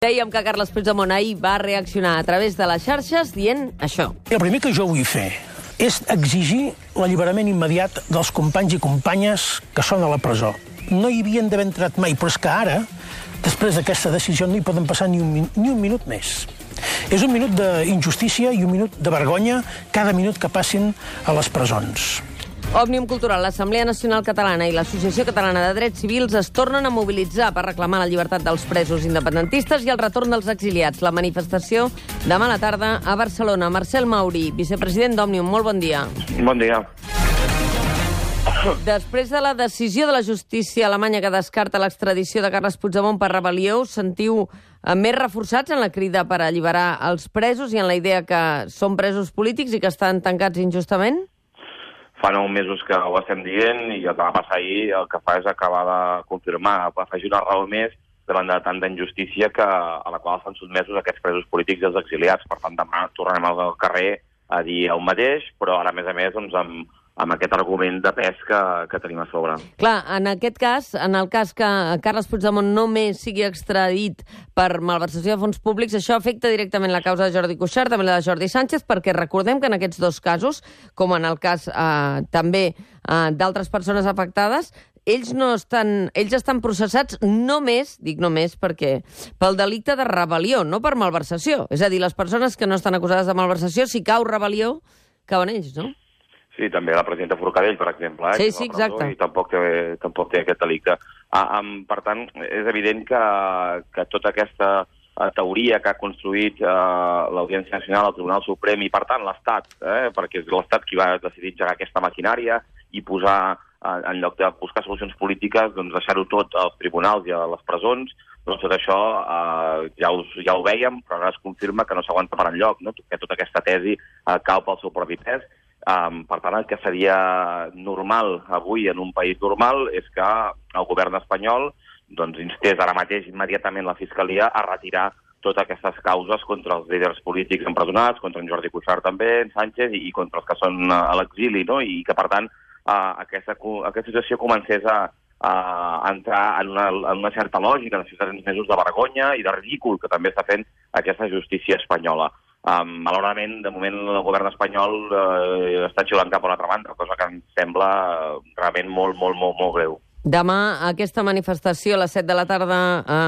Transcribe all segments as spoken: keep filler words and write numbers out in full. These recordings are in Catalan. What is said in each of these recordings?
Dèiem que Carles Puigdemont ahir va reaccionar a través de les xarxes dient això. El primer que jo vull fer és exigir l'alliberament immediat dels companys i companyes que són a la presó. No hi havien d'haver entrat mai, però és que ara, després d'aquesta decisió, no hi poden passar ni un, ni un minut més. És un minut d'injustícia i un minut de vergonya cada minut que passin a les presons. Òmnium Cultural, l'Assemblea Nacional Catalana i l'Associació Catalana de Drets Civils es tornen a mobilitzar per reclamar la llibertat dels presos independentistes i el retorn dels exiliats. La manifestació demà a la tarda a Barcelona. Marcel Mauri, vicepresident d'Òmnium, molt bon dia. Bon dia. Després de la decisió de la justícia alemanya que descarta l'extradició de Carles Puigdemont per rebel·lió, us sentiu més reforçats en la crida per alliberar els presos i en la idea que són presos polítics i que estan tancats injustament? Fa nou mesos que ho estem dient i el que va passar ahir el que fa és acabar de confirmar, afegir una raó més davant de tanta injustícia que, a la qual estan sotmesos aquests presos polítics i els exiliats. Per tant, demà tornarem al carrer a dir el mateix, però ara, a més a més, doncs, amb, amb aquest argument de pes que, que tenim a sobre. Clar, en aquest cas, en el cas que Carles Puigdemont només sigui extradit per malversació de fons públics, això afecta directament la causa de Jordi Cuixart, també la de Jordi Sánchez, perquè recordem que en aquests dos casos, com en el cas eh, també eh, d'altres persones afectades, ells no estan, ells estan processats només, dic només perquè, pel delicte de rebel·lió, no per malversació. És a dir, les persones que no estan acusades de malversació, si cau rebel·lió, cauen ells, no? Sí, també la presidenta Forcadell, per exemple, eh, sí, sí, exacte. I tampoc té, tampoc té aquest delicte. Ah, um, per tant, és evident que, que tota aquesta uh, teoria que ha construït uh, l'Audiència Nacional, el Tribunal Suprem i, per tant, l'Estat, eh, perquè és l'Estat qui va decidir engegar aquesta maquinària i posar, uh, en lloc de buscar solucions polítiques, doncs deixar-ho tot als tribunals i a les presons, doncs tot això uh, ja, us, ja ho vèiem, però ara es confirma que no s'aguanta per enlloc, no? Que tota aquesta tesi uh, cau pel seu propi pes. Um, per tant, el que seria normal avui en un país normal és que el govern espanyol doncs, instés ara mateix immediatament la Fiscalia a retirar totes aquestes causes contra els líders polítics empresonats, contra en Jordi Cuixart també, en Sánchez, i, i contra els que són a l'exili, no? I que, per tant, uh, aquesta, aquesta situació comencés a, a entrar en una, en una certa lògica de ciutadans mesos de vergonya i de ridícul que també està fent aquesta justícia espanyola. Um, malauradament, de moment, el govern espanyol eh, està xiulant cap a l'altra banda, cosa que em sembla uh, realment molt, molt, molt, molt greu. Demà, aquesta manifestació a les set de la tarda eh,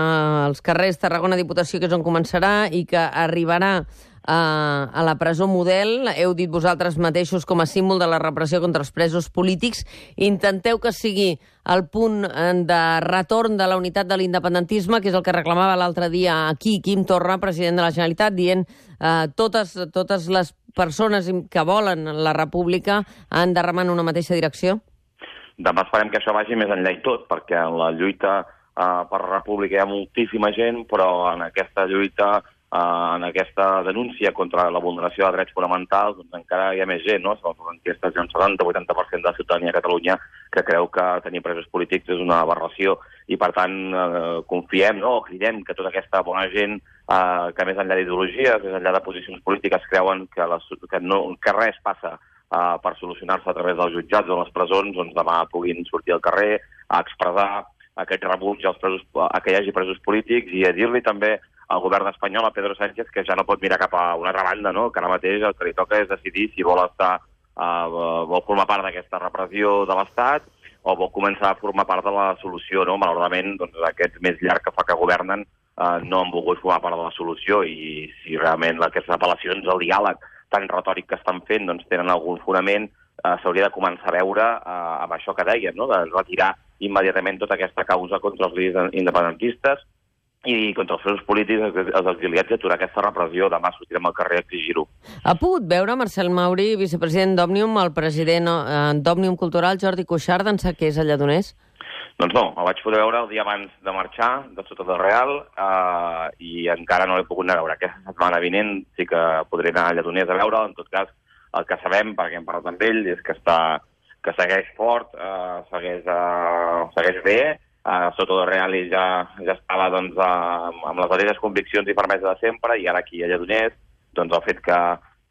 als carrers Tarragona Diputació, que és on començarà, i que arribarà eh, a la presó Model, heu dit vosaltres mateixos com a símbol de la repressió contra els presos polítics. Intenteu que sigui el punt de retorn de la unitat de l'independentisme, que és el que reclamava l'altre dia aquí Quim Torra, president de la Generalitat, dient eh, totes, totes les persones que volen la república han de remar en una mateixa direcció? Demà esperem que això vagi més enllà i tot, perquè en la lluita uh, per la república hi ha moltíssima gent, però en aquesta lluita, uh, en aquesta denúncia contra la vulneració de drets fonamentals, doncs encara hi ha més gent, no? Segons les enquestes, hi ha un setanta a vuitanta per cent de la ciutadania a Catalunya que creu que tenir presos polítics és una aberració, i per tant uh, confiem, no? O cridem que tota aquesta bona gent uh, que més enllà d'ideologies, més enllà de posicions polítiques, creuen que, les, que, no, que res passa Uh, per solucionar-se a través dels jutjats o les presons, doncs demà puguin sortir al carrer a expressar aquest rebuig als presos, a que hi hagi presos polítics, i a dir-li també al govern espanyol, a Pedro Sánchez, que ja no pot mirar cap a una altra banda, no? Que ara mateix el que li toca és decidir si vol estar, uh, vol formar part d'aquesta repressió de l'Estat o vol començar a formar part de la solució, no? Malauradament, doncs, aquest mes llarg que fa que governen uh, no han volgut formar part de la solució, i si realment aquestes apel·lacions al diàleg tan retòric que estan fent doncs tenen algun fonament, eh, s'hauria de començar a veure eh, amb això que dèiem, no? De retirar immediatament tota aquesta causa contra els líders independentistes i contra els presos polítics, els exiliats, i aturar aquesta repressió. Demà sortirem al carrer a exigir-ho. Ha pogut veure, Marcel Mauri, vicepresident d'Òmnium, el president eh, d'Òmnium Cultural, Jordi Cuixart, d'ençà que és a Lledoners? Doncs no, el vaig poder veure el dia abans de marxar, de Sota del Real, eh, i encara no l'he pogut anar a veure. Aquesta setmana vinent sí que podré anar a Lledoners a veure. En tot cas, el que sabem, perquè hem parlat amb ell, és que, està, que segueix fort, eh, segueix, eh, segueix bé. A Sota del Real ell ja, ja estava doncs, eh, amb les mateixes conviccions i fermesa de sempre, i ara aquí a Lledoners, doncs el fet que,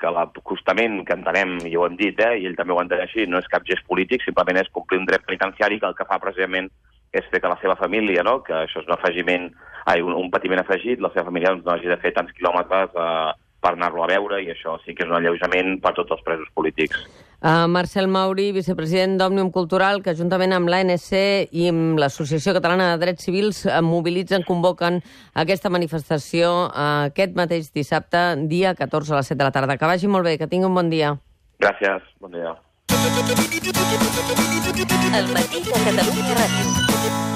que l'acostament que entenem, i ho hem dit, eh, i ell també ho entén així, no és cap gest polític, simplement és complir un dret penitenciari, que el que fa precisament és fer que la seva família, no? Que això és un afegiment, ai, un, un patiment afegit, la seva família doncs, no hagi de fer tants quilòmetres eh, per anar-lo a veure, i això sí que és un alleujament per tots els presos polítics. Uh, Marcel Mauri, vicepresident d'Òmnium Cultural, que juntament amb l'A N C i amb l'Associació Catalana de Drets Civils mobilitzen, convoquen aquesta manifestació uh, aquest mateix dissabte, dia catorze a les set de la tarda. Que vagi molt bé, que tingui un bon dia. Gràcies, bon dia. El matí de Catalunya Ràdio.